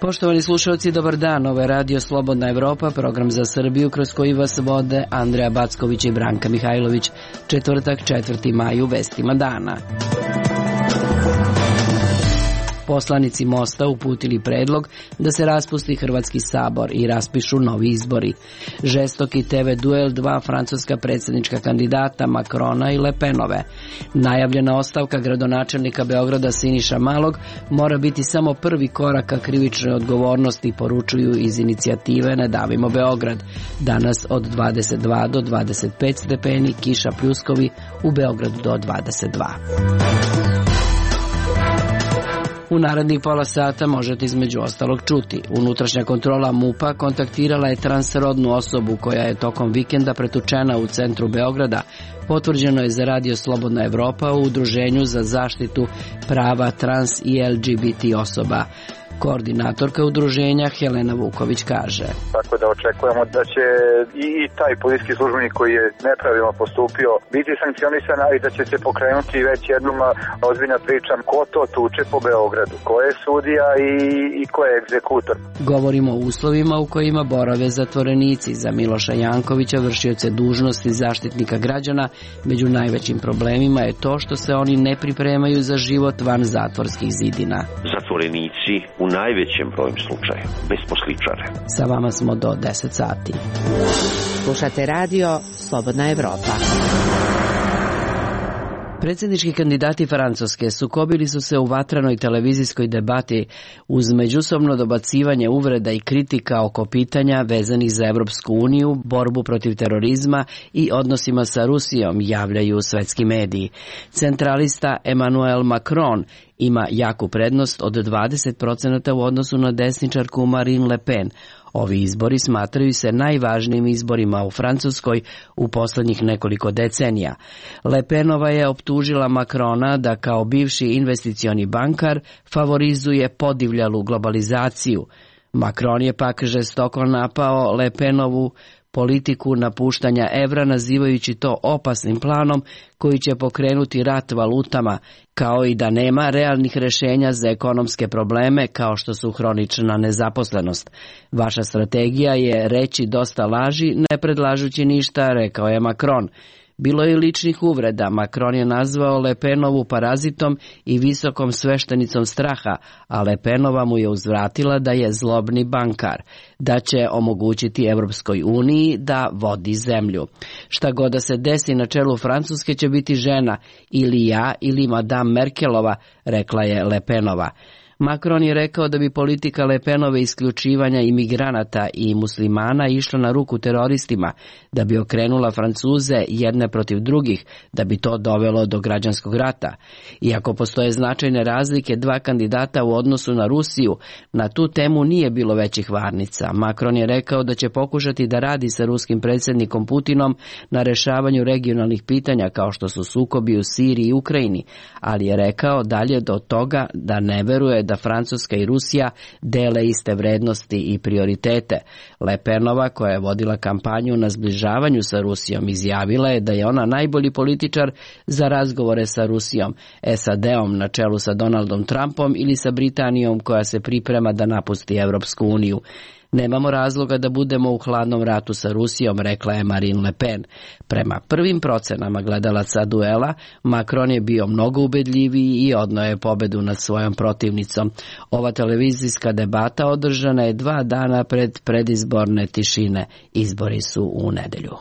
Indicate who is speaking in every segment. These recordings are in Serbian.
Speaker 1: Poštovani slušalci, dobar dan. Ovo je Radio Slobodna Evropa, program za Srbiju kroz koji vas vode Andreja Backović i Branka Mihajlović. Četvrtak, 4. maj, u vestima dana. Poslanici Mosta uputili predlog da se raspusti Hrvatski sabor i raspišu novi izbori. Žestoki TV duel dva francuska predsjednička kandidata Macrona i Le Penove. Najavljena ostavka gradonačelnika Beograda Siniša Malog mora biti samo prvi korak ka krivičnoj odgovornosti, poručuju iz inicijative Ne davimo Beograd. Danas od 22 do 25 stepeni, kiša pljuskovi, u Beogradu do 22. U narednih pola sata možete između ostalog čuti. Unutrašnja kontrola MUP-a kontaktirala je transrodnu osobu koja je tokom vikenda pretučena u centru Beograda. Potvrđeno je za Radio Slobodna Evropa u Udruženju za zaštitu prava trans i LGBT osoba. Koordinatorka udruženja Helena Vuković kaže:
Speaker 2: Tako da očekujemo da će i taj policijski službenik koji je nepravilno postupio biti sankcionisan, i da će se pokrenuti već jednom ozbiljna priča ko to tuče po Beogradu, ko je sudija i ko je egzekutor.
Speaker 1: Govorimo o uslovima u kojima borave zatvorenici. Za Miloša Jankovića, vršioce dužnosti zaštitnika građana, među najvećim problemima je to što se oni ne pripremaju za život van zatvorskih zidina.
Speaker 3: Zatvorenici u najvećem broju slučaja besposličare.
Speaker 1: Sa vama smo do 10 sati.
Speaker 4: Slušate Radio Slobodna Evropa.
Speaker 1: Predsjednički kandidati Francuske sukobili su se u vatranoj televizijskoj debati uz međusobno dobacivanje uvreda i kritika oko pitanja vezanih za Evropsku uniju, borbu protiv terorizma i odnosima sa Rusijom, javljaju svetski mediji. Centralista Emmanuel Macron ima jaku prednost od 20% u odnosu na desničarku Marine Le Pen. Ovi izbori smatraju se najvažnijim izborima u Francuskoj u poslednjih nekoliko decenija. Le Penova je optužila Macrona da kao bivši investicioni bankar favorizuje podivljalu globalizaciju. Macron je pak žestoko napao Le Penovu politiku napuštanja evra, nazivajući to opasnim planom koji će pokrenuti rat valutama, kao i da nema realnih rešenja za ekonomske probleme kao što su hronična nezaposlenost. Vaša strategija je reći dosta laži, ne predlažući ništa, rekao je Macron. Bilo je ličnih uvreda. Macron je nazvao Le Penovu parazitom i visokom sveštenicom straha, a Le Penova mu je uzvratila da je zlobni bankar, da će omogućiti Evropskoj uniji da vodi zemlju. Šta god da se desi na čelu Francuske će biti žena, ili ja ili Madame Merkelova, rekla je Le Penova. Macron je rekao da bi politika Le Penove isključivanja imigranata i muslimana išla na ruku teroristima, da bi okrenula Francuze jedne protiv drugih, da bi to dovelo do građanskog rata. Iako postoje značajne razlike dva kandidata u odnosu na Rusiju, na tu temu nije bilo većih varnica. Macron je rekao da će pokušati da radi sa ruskim predsjednikom Putinom na rešavanju regionalnih pitanja kao što su sukobi u Siriji i Ukrajini, ali je rekao dalje do toga da ne veruje da Francuska i Rusija dele iste vrednosti i prioritete. Le Penova, koja je vodila kampanju na zbližavanju sa Rusijom, izjavila je da je ona najbolji političar za razgovore sa Rusijom, SAD-om na čelu sa Donaldom Trumpom ili sa Britanijom koja se priprema da napusti Evropsku uniju. Nemamo razloga da budemo u hladnom ratu sa Rusijom, rekla je Marine Le Pen. Prema prvim procenama gledalaca duela, Macron je bio mnogo ubedljiviji i odneo je pobedu nad svojom protivnicom. Ova televizijska debata održana je 2 dana pred predizborne tišine. Izbori su u nedelju.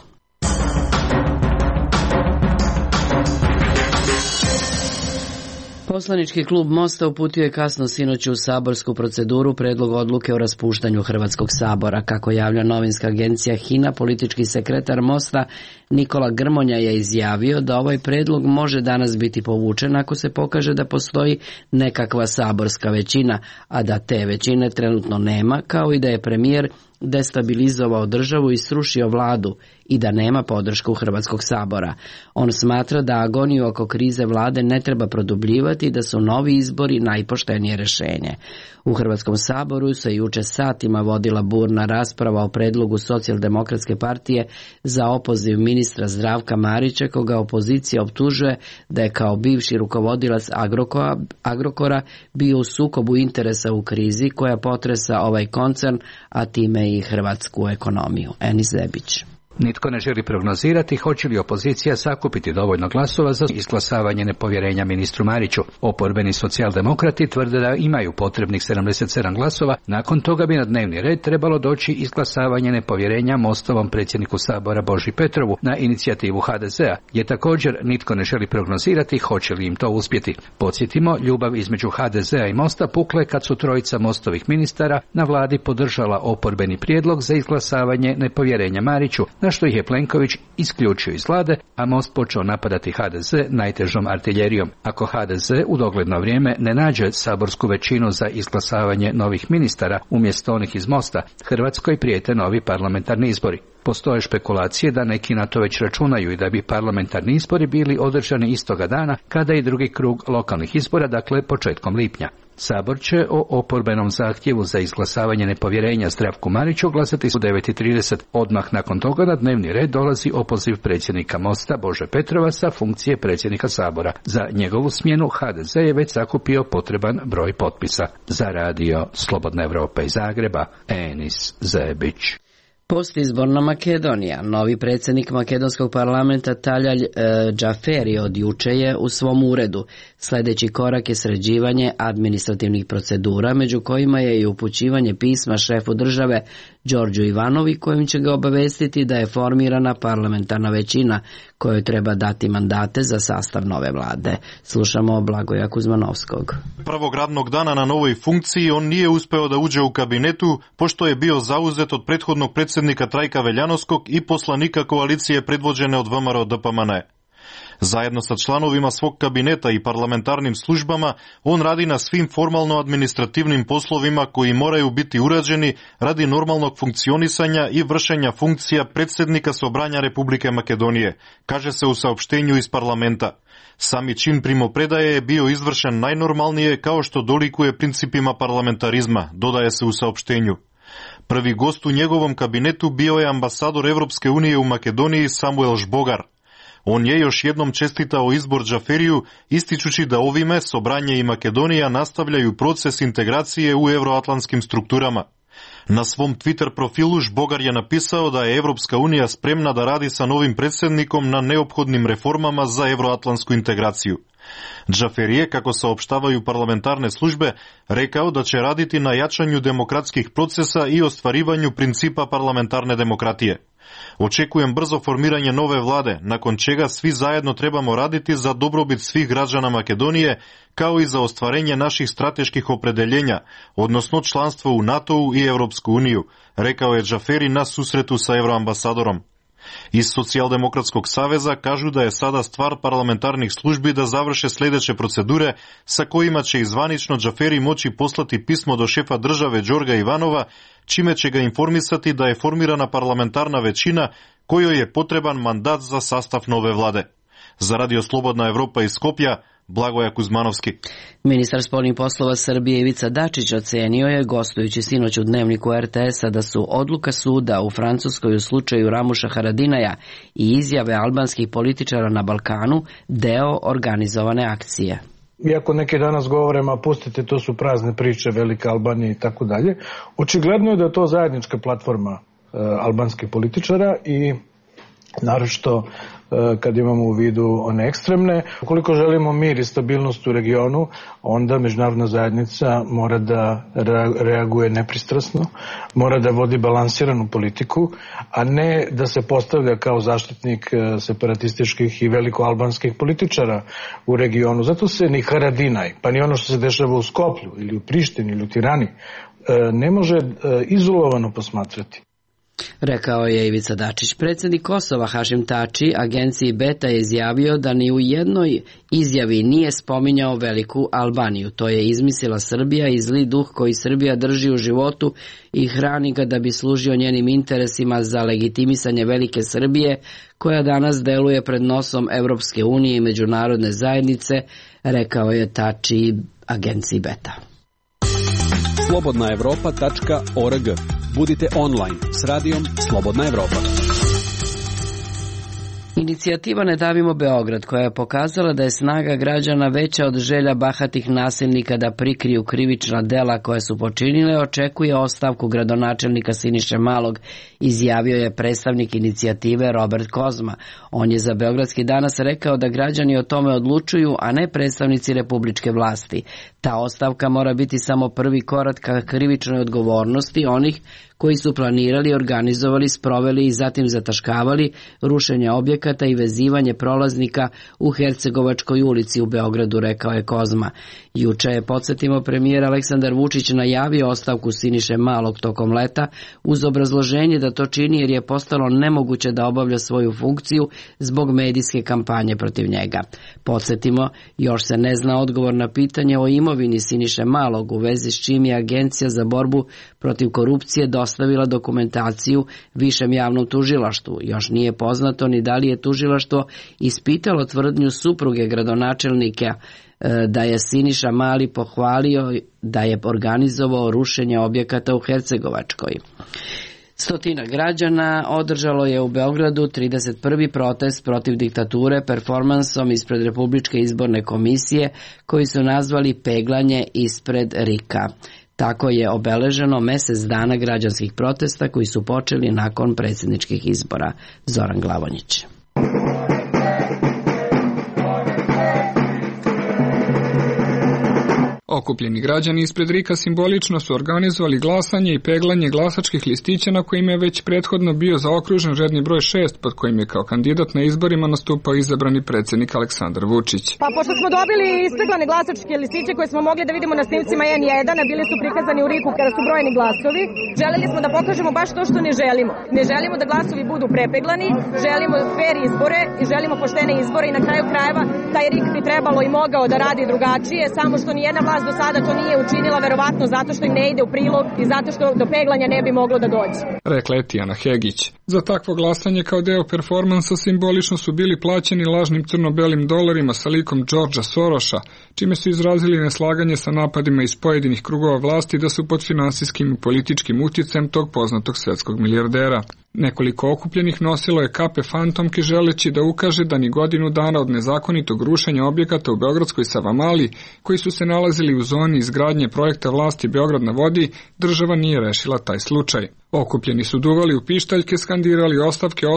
Speaker 1: Poslanički klub Mosta uputio je kasno sinoć u saborsku proceduru predlog odluke o raspuštanju Hrvatskog sabora. Kako javlja novinska agencija HINA, politički sekretar Mosta Nikola Grmonja je izjavio da ovaj predlog može danas biti povučen ako se pokaže da postoji nekakva saborska većina, a da te većine trenutno nema, kao i da je premijer destabilizovao državu i srušio vladu i da nema podršku Hrvatskog sabora. On smatra da agoniju oko krize vlade ne treba produbljivati i da su novi izbori najpoštenije rješenje. U Hrvatskom saboru se juče satima vodila burna rasprava o predlogu Socijaldemokratske partije za opoziv ministra Zdravka Marića, koga opozicija optužuje da je kao bivši rukovodilac Agrokora bio u sukobu interesa u krizi koja potresa ovaj koncern, a time i hrvatsku ekonomiju. Enis Zebić.
Speaker 5: Nitko ne želi prognozirati hoće li opozicija sakupiti dovoljno glasova za izglasavanje nepovjerenja ministru Mariću. Oporbeni socijaldemokrati tvrde da imaju potrebnih 77 glasova, nakon toga bi na dnevni red trebalo doći izglasavanje nepovjerenja Mostovom predsjedniku Sabora Boži Petrovu na inicijativu HDZ-a, jer također nitko ne želi prognozirati hoće li im to uspjeti. Podsjetimo, ljubav između HDZ-a i Mosta pukle kad su trojica Mostovih ministara na vladi podržala oporbeni prijedlog za izglasavanje nepovjerenja Mariću, na što ih je Plenković isključio iz vlade, a Most počeo napadati HDZ najtežom artiljerijom. Ako HDZ u dogledno vrijeme ne nađe saborsku većinu za izglasavanje novih ministara umjesto onih iz Mosta, Hrvatskoj prijete novi parlamentarni izbori. Postoje špekulacije da neki na to već računaju i da bi parlamentarni izbori bili održani istoga dana kada i drugi krug lokalnih izbora, dakle početkom lipnja. Sabor će o oporbenom zahtjevu za izglasavanje nepovjerenja Zdravku Mariću glasati u 9:30. Odmah nakon toga na dnevni red dolazi opoziv predsjednika Mosta Bože Petrova sa funkcije predsjednika Sabora. Za njegovu smjenu HDZ je već sakupio potreban broj potpisa. Za radio Slobodna Evropa iz Zagreba, Enis Zebić.
Speaker 1: Postizborna Makedonija. Novi predsjednik makedonskog parlamenta Taljalj Džaferi od juče je u svom uredu. Sljedeći korak je sređivanje administrativnih procedura, među kojima je i upućivanje pisma šefu države Đorđu Ivanovi, kojim će ga obavestiti da je formirana parlamentarna većina kojoj treba dati mandate za sastav nove vlade. Slušamo Blagoja Kuzmanovskog.
Speaker 6: Prvog radnog dana na novoj funkciji on nije uspeo da uđe u kabinetu, pošto je bio zauzet od prethodnog predsjednika Trajka Veljanovskog i poslanika koalicije predvođene od VMRO DPMN. Zajedno sa članovima svog kabineta i parlamentarnim službama, on radi na svim formalno-administrativnim poslovima koji moraju biti urađeni radi normalnog funkcionisanja i vršenja funkcija predsjednika Sobranja Republike Makedonije, kaže se u saopštenju iz parlamenta. Sami čin primopredaje je bio izvršen najnormalnije kao što dolikuje principima parlamentarizma, dodaje se u saopštenju. Prvi gost u njegovom kabinetu bio je ambasador Evropske unije u Makedoniji Samuel Žbogar. On je još jednom čestitao izbor Džaferiju, ističući da ovime Sobranje i Makedonija nastavljaju proces integracije u euroatlantskim strukturama. Na svom Twitter profilu Žbogar je napisao da je Evropska unija spremna da radi sa novim predsjednikom na neophodnim reformama za euroatlantsku integraciju. Džaferi je, kako saopštavaju parlamentarne službe, rekao da će raditi na jačanju demokratskih procesa i ostvarivanju principa parlamentarne demokratije. Očekujem brzo formiranje nove vlade, nakon čega svi zajedno trebamo raditi za dobrobit svih građana Makedonije, kao i za ostvarenje naših strateških opredeljenja, odnosno članstvo u NATO-u i Evropsku uniju, rekao je Džaferi na susretu sa euroambasadorom. Iz Socijaldemokratskog saveza kažu da je sada stvar parlamentarnih službi da završe sljedeće procedure sa kojima će zvanično Džaferi moći poslati pismo do šefa države Đorga Ivanova, čime će ga informisati da je formirana parlamentarna većina kojoj je potreban mandat za sastav nove vlade. Za radio Slobodna Evropa iz Skopja, Blagoja Kuzmanovski.
Speaker 1: Ministar spoljnih poslova Srbije Ivica Dačić ocenio je, gostujući sinoć u dnevniku RTS-a, da su odluka suda u Francuskoj u slučaju Ramuša Haradinaja i izjave albanskih političara na Balkanu deo organizovane akcije.
Speaker 7: Iako neki danas govore, ma pustite, to su prazne priče, Velika Albanija i tako dalje, očigledno je da je to zajednička platforma albanskih političara i naročito kad imamo u vidu one ekstremne. Ukoliko želimo mir i stabilnost u regionu, onda međunarodna zajednica mora da reaguje nepristrasno, mora da vodi balansiranu politiku, a ne da se postavlja kao zaštitnik separatističkih i velikoalbanskih političara u regionu. Zato se ni Haradinaj, pa ni ono što se dešava u Skoplju ili u Prištini ili u Tirani ne može izolovano posmatrati.
Speaker 1: Rekao je Ivica Dačić. Predsjednik Kosova Hašim Tači agenciji Beta je izjavio da ni u jednoj izjavi nije spominjao Veliku Albaniju. To je izmislila Srbija i zli duh koji Srbija drži u životu i hrani ga da bi služio njenim interesima za legitimisanje Velike Srbije, koja danas deluje pred nosom Evropske unije i međunarodne zajednice, rekao je Tači agenciji Beta.
Speaker 8: Slobodnaevropa.org. Budite online s radijom Slobodna Evropa.
Speaker 1: Inicijativa Ne davimo Beograd, koja je pokazala da je snaga građana veća od želja bahatih nasilnika da prikriju krivična dela koje su počinile, očekuje ostavku gradonačelnika Siniše Malog, izjavio je predstavnik inicijative Robert Kozma. On je za Beogradski danas rekao da građani o tome odlučuju, a ne predstavnici republičke vlasti. Ta ostavka mora biti samo prvi korak ka krivičnoj odgovornosti onih koji su planirali, organizovali, sproveli i zatim zataškavali rušenje objekata i vezivanje prolaznika u Hercegovačkoj ulici u Beogradu, rekao je Kozma. Juče je, podsjetimo, premijer Aleksandar Vučić najavio ostavku Siniše Malog tokom leta uz obrazloženje da to čini jer je postalo nemoguće da obavlja svoju funkciju zbog medijske kampanje protiv njega. Podsjetimo, još se ne zna odgovor na pitanje o imovini Siniše Malog, u vezi s čim je Agencija za borbu protiv korupcije dostavila dokumentaciju Višem javnom tužilaštvu. Još nije poznato ni da li je tužilaštvo ispitalo tvrdnju supruge gradonačelnika da je Siniša Mali pohvalio da je organizovao rušenje objekata u Hercegovačkoj. Stotina građana održalo je u Beogradu 31. protest protiv diktature performansom ispred Republičke izborne komisije, koji su nazvali peglanje ispred RIK-a. Tako je obeleženo mesec dana građanskih protesta koji su počeli nakon predsjedničkih izbora. Zoran Glavonjić.
Speaker 9: Okupljeni građani ispred RIK-a simbolično su organizovali glasanje i peglanje glasačkih listića na kojima je već prethodno bio zaokružen redni broj 6, pod kojim je kao kandidat na izborima nastupao izabrani predsjednik Aleksandar Vučić.
Speaker 10: Pa pošto smo dobili ispeglane glasačke listiće koje smo mogli da vidimo na snimcima N1, a bili su prikazani u RIK-u kada su brojeni glasovi, želeli smo da pokažemo baš to što ne želimo. Ne želimo da glasovi budu prepeglani, želimo fer izbore i želimo poštene izbore i na kraju krajeva taj RIK bi trebalo i mogao da radi drugačije, samo što nijedna vlast do sada to nije učinila, verovatno zato što im ne ide u prilog i zato što do peglanja ne bi moglo da dođe.
Speaker 9: Rekla je Tijana Hegić. Za takvo glasanje kao deo performansa simbolično su bili plaćeni lažnim crno-belim dolarima sa likom Georgea Sorosa, čime su izrazili neslaganje sa napadima iz pojedinih krugova vlasti da su pod finansijskim i političkim utjecajem tog poznatog svetskog milijardera. Nekoliko okupljenih nosilo je kape fantomke želeći da ukaže da ni godinu dana od nezakonitog rušenja objekata u beogradskoj Savamali, koji su se nalazili u zoni izgradnje projekta vlasti Beograd na vodi, država nije rešila taj slučaj. Okupljeni su duvali u pištaljke, skandirali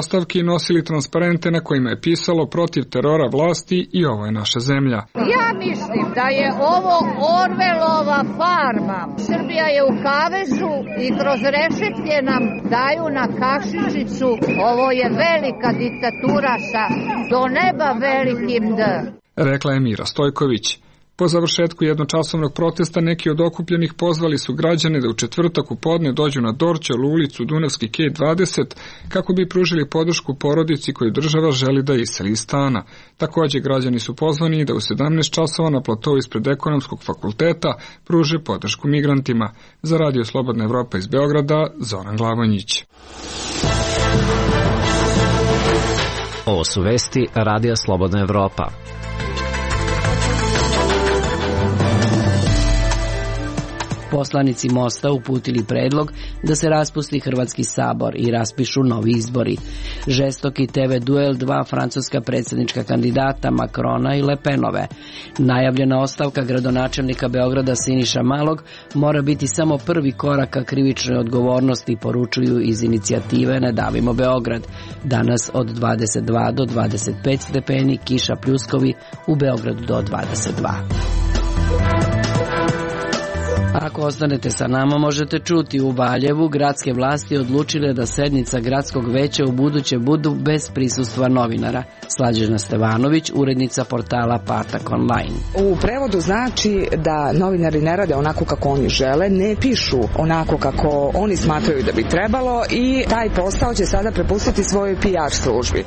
Speaker 9: ostavke i nosili transparente na kojima je pisalo protiv terora vlasti i ovo je naša zemlja.
Speaker 11: Ja mislim da je ovo Orvelova farma. Srbija je u kavezu i kroz rešetlje nam daju na kašičicu. Ovo je velika diktatura sa do neba velikim D.
Speaker 9: Rekla je Mira Stojković. Po završetku jednočasovnog protesta neki od okupljenih pozvali su građane da u četvrtak u podne dođu na Dorćolu ulicu Dunavski Kej 20 kako bi pružili podršku porodici koju država želi da iseli iz stana. Također građani su pozvani da u 17 časova na platovu ispred Ekonomskog fakulteta pruže podršku migrantima. Za Radio Slobodna Evropa iz Beograda, Zoran Glavonjić.
Speaker 12: Ovo su vesti Radija Slobodna Evropa.
Speaker 1: Poslanici Mosta uputili predlog da se raspusti Hrvatski sabor i raspišu novi izbori. Žestoki TV duel dva francuska predsjednička kandidata Macrona i Le Penove. Najavljena ostavka gradonačelnika Beograda Siniša Malog mora biti samo prvi korak ka krivičnoj odgovornosti, poručuju iz inicijative Ne davimo Beograd. Danas od 22 do 25 stepeni, kiša pljuskovi, u Beogradu do 22. Ako Ako ostanete sa nama, možete čuti u Valjevu gradske vlasti odlučile da sednica gradskog veća u buduće budu bez prisustva novinara. Slađana Stevanović, urednica portala Patak online.
Speaker 13: U prevodu znači da novinari ne rade onako kako oni žele, ne pišu onako kako oni smatraju da bi trebalo i taj posao će sada prepustiti svojoj PR službi.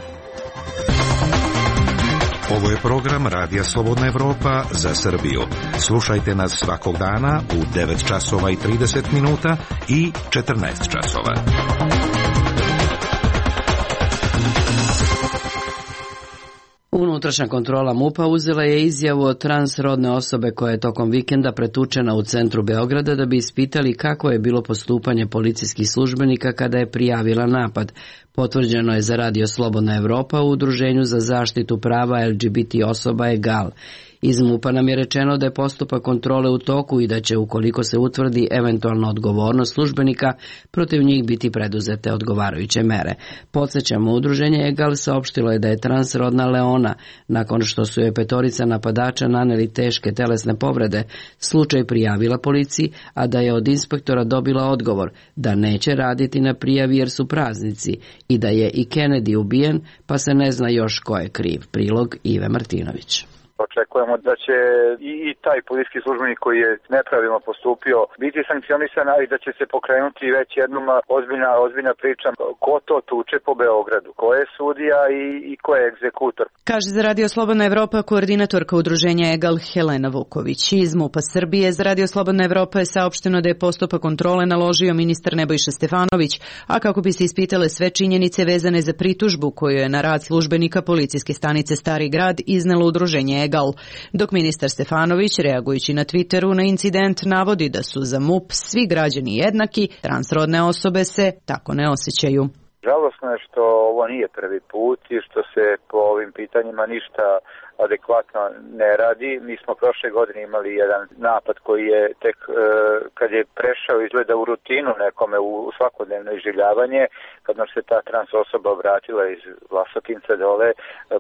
Speaker 14: Ovo je program Radija Slobodna Evropa za Srbiju. Slušajte nas svakog dana u 9 časova i 30 minuta i 14 časova.
Speaker 1: Unutrašnja kontrola MUP-a uzela je izjavu od transrodne osobe koja je tokom vikenda pretučena u centru Beograda da bi ispitali kako je bilo postupanje policijskih službenika kada je prijavila napad. Potvrđeno je za Radio Slobodna Evropa u Udruženju za zaštitu prava LGBT osoba EGAL. Iz MUP-a nam je rečeno da je postupak kontrole u toku i da će, ukoliko se utvrdi eventualna odgovornost službenika, protiv njih biti preduzete odgovarajuće mere. Podsjećamo, Udruženje EGAL saopštilo je da je transrodna Leona, nakon što su je petorica napadača naneli teške telesne povrede, slučaj prijavila policiji, a da je od inspektora dobila odgovor da neće raditi na prijavi jer su praznici i da je i Kennedy ubijen, pa se ne zna još ko je kriv. Prilog Ive Martinović.
Speaker 2: Očekujemo da će i taj policijski službenik koji je nepravilno postupio biti sankcionisan, i da će se pokrenuti već jednom ozbiljna priča ko to tuče po Beogradu, ko je sudija i ko je egzekutor.
Speaker 15: Kaže za Radio Slobodna Evropa koordinatorka udruženja EGAL Helena Vuković. Iz MUP-a Srbije za Radio Slobodna Evropa je saopšteno da je postupak kontrole naložio ministar Nebojša Stefanović, a kako bi se ispitale sve činjenice vezane za pritužbu koju je na rad službenika policijske stanice Stari Grad iznelo udruženje EGAL. Dok ministar Stefanović, reagujući na Twitteru na incident, navodi da su za MUP svi građani jednaki, transrodne osobe se tako ne osjećaju.
Speaker 2: Žalosno je što ovo nije prvi put i što se po ovim pitanjima ništa adekvatno ne radi. Mi smo prošle godine imali jedan napad koji je tek kad je prešao izgleda u rutinu nekome u svakodnevno iživljavanje, kad nam se ta trans osoba vratila iz Vlasotinca dole,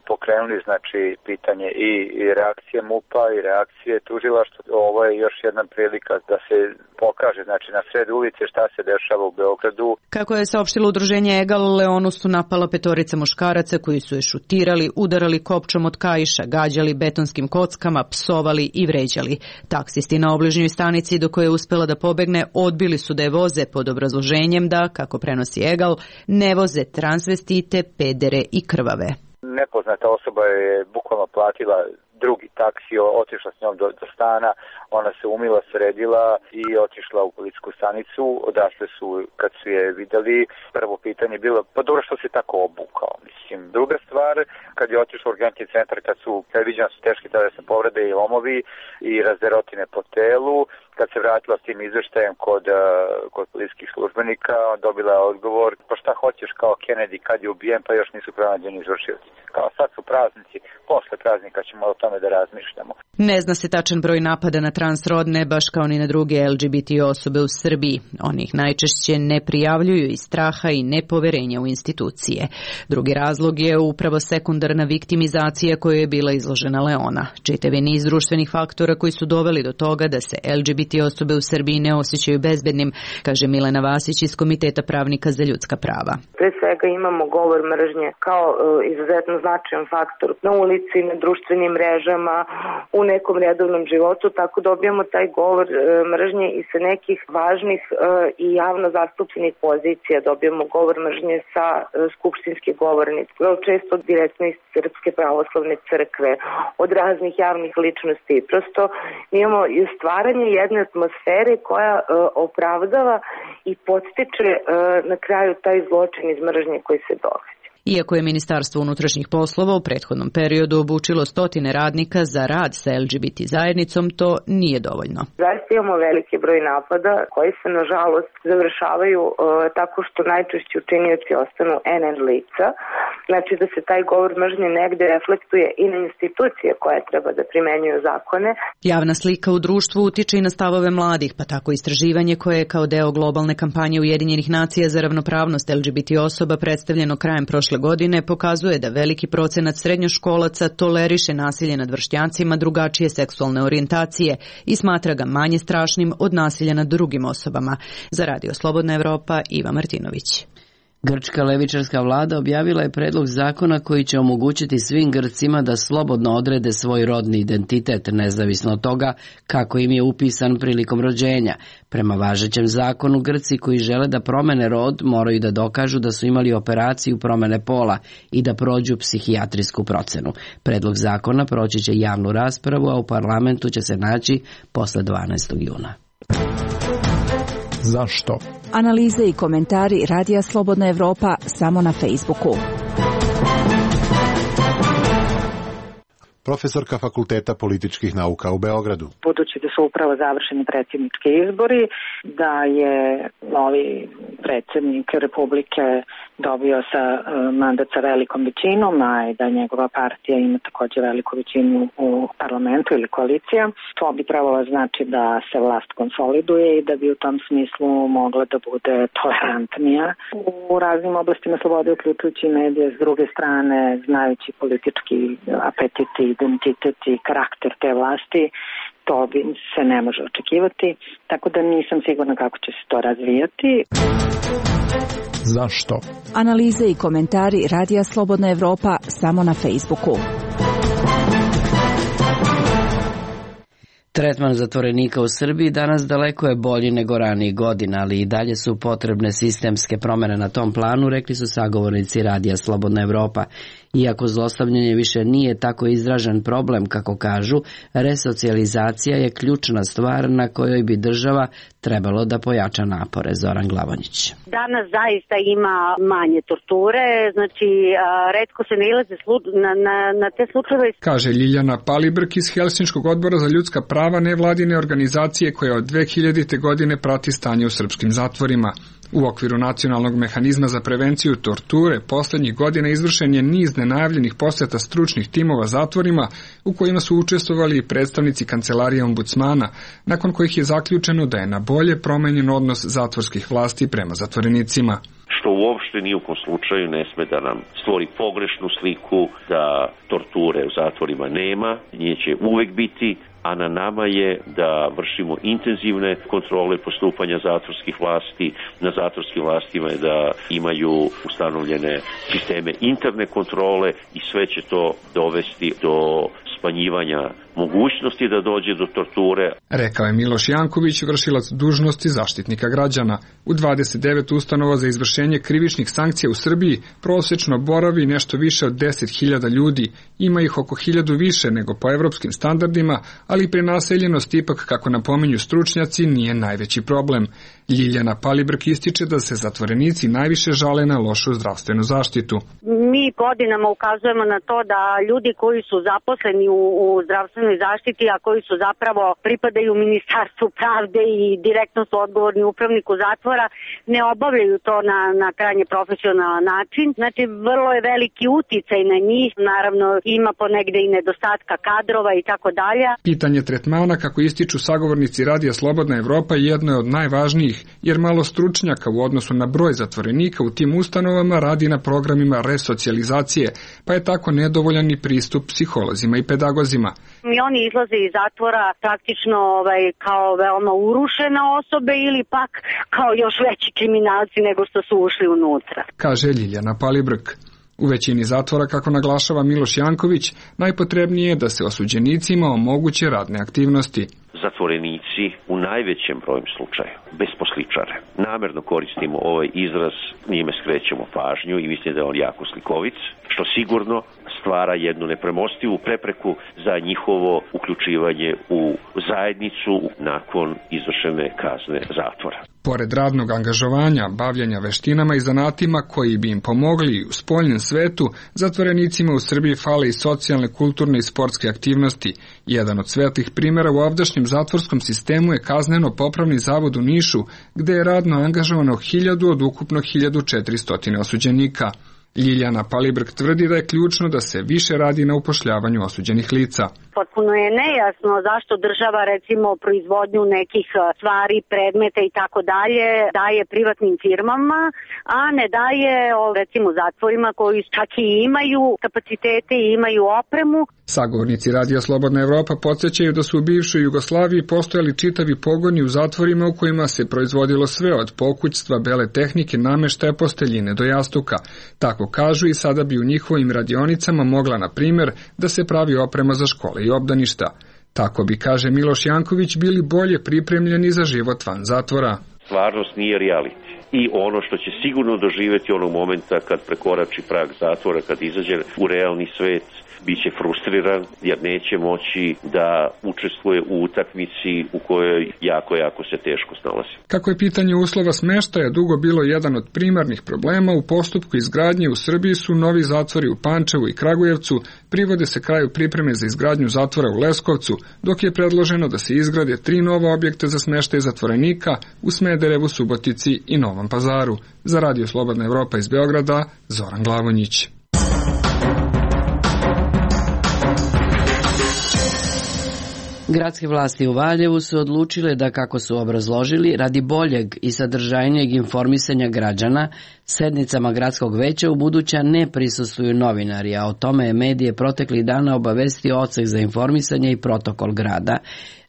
Speaker 2: pokrenuli znači pitanje i reakcije MUP-a i reakcije tužilaštva. Ovo je još jedna prilika da se pokaže znači na sred ulice šta se dešava u Beogradu.
Speaker 15: Kako je saopštilo udruženje EGAL, Leonu su napala petorica muškaraca koji su je šutirali, udarali kopčom od kaiša, gađali betonskim kockama, psovali i vređali. Taksisti na obližnjoj stanici do koje je uspela da pobegne odbili su da je voze pod obrazloženjem da, kako prenosi EGAL, ne voze transvestite, pedere i krvave.
Speaker 2: Nepoznata osoba je bukvalno platila drugi taksi, otišla s njom do stana, ona se umila, sredila i otišla u policijsku stanicu, odatle su, kad su je videli, prvo pitanje bilo, pa dobro što se tako obukao, mislim. Druga stvar, kad je otišla u urgentni centar, kad viđena su teške telesne povrede i lomovi i razderotine po telu, kad se vratila s tim izveštajem kod policijskih službenika, dobila odgovor, pa šta hoćeš kao Kennedy kad je ubijen, pa još nisu pronađeni izvršioci. Kao sad su praznici, posle praznika ćemo o tome da razmišljamo.
Speaker 15: Ne zna se tačan broj napada na transrodne, baš kao ni na druge LGBT osobe u Srbiji. Oni ih najčešće ne prijavljuju iz straha i nepoverenja u institucije. Drugi razlog je upravo sekundarna viktimizacija kojoj je bila izložena Leona. Čitav je niz društvenih faktora koji su doveli do toga da se LGBT osobe u Srbiji ne osjećaju bezbednim, kaže Milena Vasić iz Komiteta pravnika za ljudska prava.
Speaker 16: Pre svega imamo govor mržnje kao izuzetno značajan faktor na ulici, na društvenim mrežama, u nekom redovnom životu, tako dobijamo taj govor mržnje i sa nekih važnih i javno zastupljenih pozicija. Dobijamo govor mržnje sa skupštinske govornice, često direktno iz Srpske pravoslavne crkve, od raznih javnih ličnosti. Prosto imamo i stvaranje jedne atmosfere koja opravdava i podstiče na kraju taj zločin iz mržnje koji se događa.
Speaker 15: Iako je Ministarstvo unutrašnjih poslova u prethodnom periodu obučilo stotine radnika za rad sa LGBT zajednicom, to nije dovoljno.
Speaker 16: Zaista imamo veliki broj napada koji se nažalost završavaju tako što najčešće učinioci ostanu NN lica, Znači da se taj govor mržnje negde reflektuje i na institucije koje treba da primenjuju zakone.
Speaker 15: Javna slika u društvu utiče i na stavove mladih, pa tako istraživanje koje je kao deo globalne kampanje Ujedinjenih nacija za ravnopravnost LGBT osoba predstavljeno krajem prošle godine pokazuje da veliki procenat srednjoškolaca toleriše nasilje nad vršnjacima drugačije seksualne orijentacije i smatra ga manje strašnim od nasilja nad drugim osobama. Za Radio Slobodna Evropa, Iva Martinović.
Speaker 1: Grčka levičarska vlada objavila je predlog zakona koji će omogućiti svim Grcima da slobodno odrede svoj rodni identitet, nezavisno od toga kako im je upisan prilikom rođenja. Prema važećem zakonu, Grci koji žele da promene rod moraju da dokažu da su imali operaciju promene pola i da prođu psihijatrijsku procenu. Predlog zakona proći će javnu raspravu, a u parlamentu će se naći posle 12. juna.
Speaker 17: Zašto? Analize i komentari Radija Slobodna Evropa samo na Facebooku.
Speaker 18: Profesorka Fakulteta političkih nauka u Beogradu.
Speaker 19: Budući da su upravo završeni predsjednički izbori, da je novi predsjednik Republike dobio mandat sa velikom većinom, a i da njegova partija ima također veliku većinu u parlamentu ili koalicija, to bi trebalo znači da se vlast konsoliduje i da bi u tom smislu mogla da bude tolerantnija u raznim oblastima slobode, uključujući medije. S druge strane, znajući politički apetiti, identitet i karakter te vlasti, to bi se ne može očekivati, tako da nisam sigurna kako će se to razvijati.
Speaker 17: Zašto? Analize i komentari Radija Slobodna Evropa samo na Facebooku.
Speaker 1: Tretman zatvorenika u Srbiji danas daleko je bolji nego ranijih godina, ali i dalje su potrebne sistemske promjene na tom planu, rekli su sagovornici Radija Slobodna Evropa. Iako zlostavljanje više nije tako izražen problem, kako kažu, resocijalizacija je ključna stvar na kojoj bi država trebalo da pojača napore. Zoran Glavonjić.
Speaker 20: Danas zaista ima manje torture, znači retko se nailaze na te slučajeve.
Speaker 9: Kaže Ljiljana Palibrk iz Helsinškog odbora za ljudska prava nevladine organizacije koja od 2000. godine prati stanje u srpskim zatvorima. U okviru nacionalnog mehanizma za prevenciju torture posljednjih godina izvršen je niz nenajavljenih posjeta stručnih timova zatvorima u kojima su učestvovali i predstavnici kancelarije ombudsmana, nakon kojih je zaključeno da je na bolje promenjen odnos zatvorskih vlasti prema zatvorenicima.
Speaker 3: Što uopšte ni u kom slučaju ne sme da nam stvori pogrešnu sliku da torture u zatvorima nema, nje će uvek biti, a na nama je da vršimo intenzivne kontrole postupanja zatvorskih vlasti. Na zatvorskim vlastima je da imaju ustanovljene sisteme interne kontrole i sve će to dovesti do smanjivanja mogućnosti da dođe do torture.
Speaker 9: Rekao je Miloš Janković, vršilac dužnosti zaštitnika građana. U 29 ustanova za izvršenje krivičnih sankcija u Srbiji prosečno boravi nešto više od 10.000 ljudi. Ima ih oko 1.000 više nego po evropskim standardima, ali prenaseljenost ipak, kako napominju stručnjaci, nije najveći problem. Ljiljana Palibrk ističe da se zatvorenici najviše žale na lošu zdravstvenu zaštitu.
Speaker 20: Mi godinama ukazujemo na to da ljudi koji su zaposleni u zdravstvenoj zaštiti, a koji su zapravo pripadaju Ministarstvu pravde i direktno su odgovorni upravniku zatvora, ne obavljaju to na krajnje profesionalan način. Znači, vrlo je veliki uticaj na njih, naravno ima ponegde i nedostatka kadrova i tako dalje.
Speaker 9: Pitanje tretmana, kako ističu sagovornici Radija Slobodna Evropa, jedno je od najvažnijih, jer malo stručnjaka u odnosu na broj zatvorenika u tim ustanovama radi na programima resocijalizacije, pa je tako nedovoljan i pristup psiholozima i pedagozima.
Speaker 20: I oni izlaze iz zatvora praktično kao veoma urušene osobe ili pak kao još veći kriminalci nego što su ušli unutra.
Speaker 9: Kaže Ljiljana Palibrk. U većini zatvora, kako naglašava Miloš Janković, najpotrebnije je da se osuđenicima omoguće radne aktivnosti.
Speaker 3: Zatvorenici u najvećem broju slučaja besposličare. Namerno koristimo ovaj izraz, njime skrećemo pažnju i mislim da je on jako slikovit, što sigurno stvara jednu nepremostivu prepreku za njihovo uključivanje u zajednicu nakon izvršene kazne zatvora.
Speaker 9: Pored radnog angažovanja, bavljenja veštinama i zanatima koji bi im pomogli u spoljnom svetu, zatvorenicima u Srbiji fale i socijalne, kulturne i sportske aktivnosti. Jedan od svetlih primjera u ovdašnjem zatvorskom sistemu je kazneno-popravni zavod u Nišu, gde je radno angažovano 1000 od ukupno 1400 osuđenika. Ljiljana Palibrg tvrdi da je ključno da se više radi na upošljavanju osuđenih lica.
Speaker 20: Potpuno je nejasno zašto država recimo proizvodnju nekih stvari, predmeta i tako dalje daje privatnim firmama, a ne daje recimo zatvorima koji čak i imaju kapacitete i imaju opremu.
Speaker 9: Sagovornici Radija Slobodna Evropa podsjećaju da su u bivšoj Jugoslaviji postojali čitavi pogoni u zatvorima u kojima se proizvodilo sve od pokućstva, bele tehnike, nameštaja, posteljine do jastuka. Tako kažu i sada bi u njihovim radionicama mogla, na primjer, da se pravi oprema za škole i obdaništa. Tako bi, kaže Miloš Janković, bili bolje pripremljeni za život van zatvora.
Speaker 3: Stvarnost nije reality. I ono što će sigurno doživjeti onog momenta kad prekorači prag zatvora, kad izađe u realni svet, biće frustriran jer neće moći da učestvuje u utakmici u kojoj jako se teško snalazi.
Speaker 9: Kako je pitanje uslova smeštaja dugo bilo jedan od primarnih problema, u postupku izgradnje u Srbiji su novi zatvori u Pančevu i Kragujevcu, privode se kraju pripreme za izgradnju zatvora u Leskovcu, dok je predloženo da se izgrade 3 nova objekta za smeštaj zatvorenika u Smederevu, Subotici i Novom Pazaru. Za Radio Slobodna Evropa iz Beograda, Zoran Glavonjić.
Speaker 1: Gradske vlasti u Valjevu su odlučile da, kako su obrazložili, radi boljeg i sadržajnijeg informisanja građana, sednicama gradskog veća u buduća ne prisustvuju novinari, a o tome je medije proteklih dana obavestio Odsek za informisanje i protokol grada.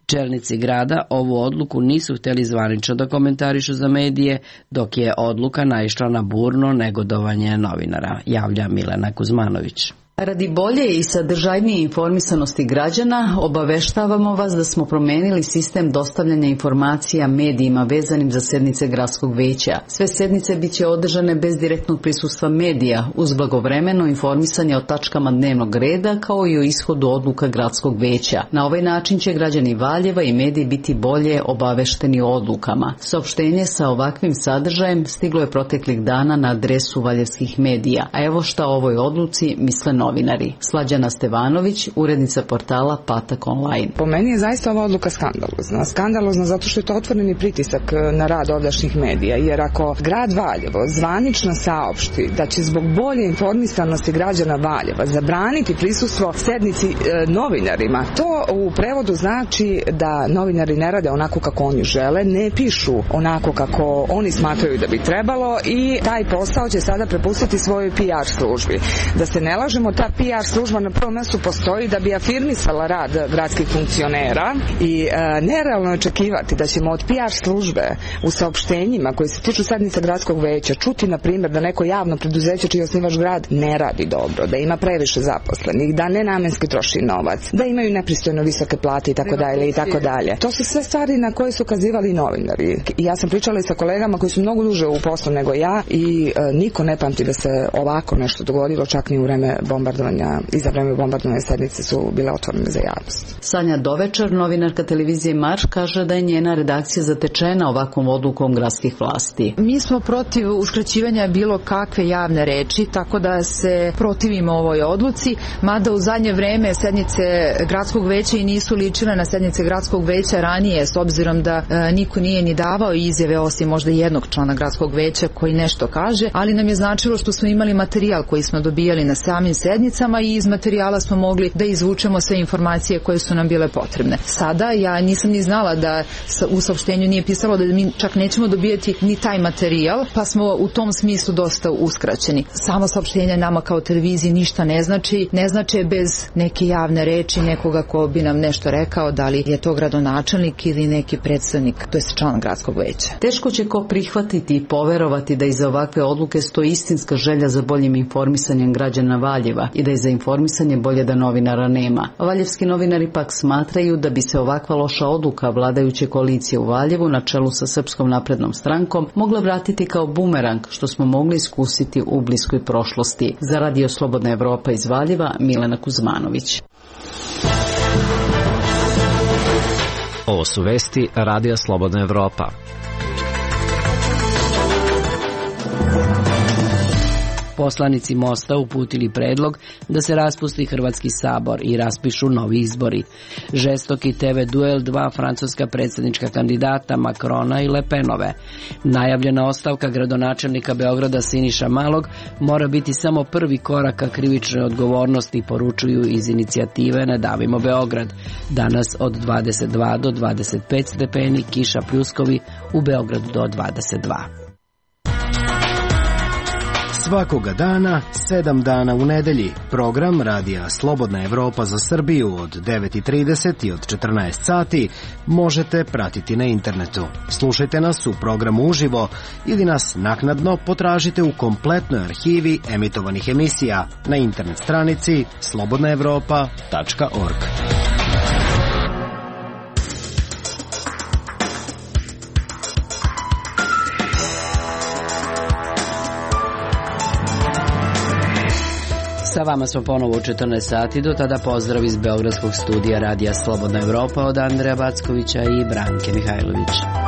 Speaker 1: Čelnici grada ovu odluku nisu htjeli zvanično da komentarišu za medije, dok je odluka naišla na burno negodovanje novinara, javlja Milena Kuzmanović.
Speaker 21: Radi bolje i sadržajnije informisanosti građana, obaveštavamo vas da smo promenili sistem dostavljanja informacija medijima vezanim za sednice gradskog veća. Sve sednice bit će održane bez direktnog prisustva medija, uz blagovremeno informisanje o tačkama dnevnog reda kao i o ishodu odluka gradskog veća. Na ovaj način će građani Valjeva i mediji biti bolje obavešteni o odlukama. Saopštenje sa ovakvim sadržajem stiglo je proteklih dana na adresu valjevskih medija, a evo šta o ovoj odluci misle novinari. Slađana Stevanović, urednica portala Patak online.
Speaker 13: Po meni je zaista ova odluka skandalozna. Skandalozna zato što je to otvoreni pritisak na rad ovdašnjih medija, jer ako grad Valjevo zvanično saopšti da će zbog bolje informisanosti građana Valjeva zabraniti prisustvo sednici novinarima, to u prevodu znači da novinari ne rade onako kako oni žele, ne pišu onako kako oni smatraju da bi trebalo i taj posao će sada prepustiti svojoj PR službi. Da se ne lažemo, ta PR služba na prvom mjestu postoji da bi afirmisala rad gradskih funkcionera i nerealno je očekivati da ćemo od PR službe u saopštenjima koji se tiču sednica gradskog veća čuti, na primjer, da neko javno preduzeće čiji je osnivač grad ne radi dobro, da ima previše zaposlenih, da nenamenski troši novac, da imaju nepristojno visoke plate i tako dalje i tako dalje. To su sve stvari na koje su ukazivali novinari. Ja sam pričala i sa kolegama koji su mnogo duže u poslu nego ja i niko ne pamti da se ovako nešto dogodilo, čak ni u vreme bombardovanja i za vreme bombardovanja sednice su bile otvorene za javnost.
Speaker 21: Sanja Dovečar, novinarka televizije Marš, kaže da je njena redakcija zatečena ovakvom odlukom gradskih vlasti.
Speaker 22: Mi smo protiv uskraćivanja bilo kakve javne reči, tako da se protivimo ovoj odluci, mada u zadnje vreme sednice gradskog veća i nisu ličile na sednice gradskog veća ranije, s obzirom da niko nije ni davao izjave osim možda jednog člana gradskog veća koji nešto kaže, ali nam je značilo što smo imali materijal koji smo dobijali na samim sednicama i iz materijala smo mogli da izvučemo sve informacije koje su nam bile potrebne. Sada ja nisam ni znala da u saopštenju nije pisalo da mi čak nećemo dobijati ni taj materijal, pa smo u tom smislu dosta uskraćeni. Samo saopštenje nama kao televiziji ništa ne znači, ne znači bez neke javne reči nekoga ko bi nam nešto rekao, da li je to gradonačelnik ili neki predstavnik, to je član gradskog veća.
Speaker 21: Teško će ko prihvatiti i poverovati da iza ovakve odluke stoji istinska želja za boljim informisanjem građana Valjeva i da je za informisanje bolje da novinara nema. Valjevski novinari pak smatraju da bi se ovakva loša odluka vladajuće koalicije u Valjevu na čelu sa Srpskom naprednom strankom mogla vratiti kao bumerang, što smo mogli iskusiti u bliskoj prošlosti. Za Radio Slobodna Evropa iz Valjeva, Milena Kuzmanović.
Speaker 12: Ovo su vesti Radija Slobodna Evropa.
Speaker 1: poslanici Mosta uputili predlog da se raspusti Hrvatski sabor i raspišu novi izbori. Žestoki TV duel dva francuska predsjednička kandidata Macrona i Le Penove. Najavljena ostavka gradonačelnika Beograda Siniša Malog mora biti samo prvi korak ka krivičnoj odgovornosti, poručuju iz inicijative Ne davimo Beograd. Danas od 22 do 25 stepeni, kiša, pljuskovi, u Beogradu do 22.
Speaker 4: Svakoga dana, 7 dana u nedelji, program Radija Slobodna Evropa za Srbiju od 9:30 i od 14 sati možete pratiti na internetu. Slušajte nas u programu uživo ili nas naknadno potražite u kompletnoj arhivi emitovanih emisija na internet stranici slobodnaevropa.org.
Speaker 1: Sa vama smo ponovo u 14 sati, do tada pozdrav iz Beogradskog studija Radija Slobodna Evropa od Andreja Backovića i Branke Mihajlović.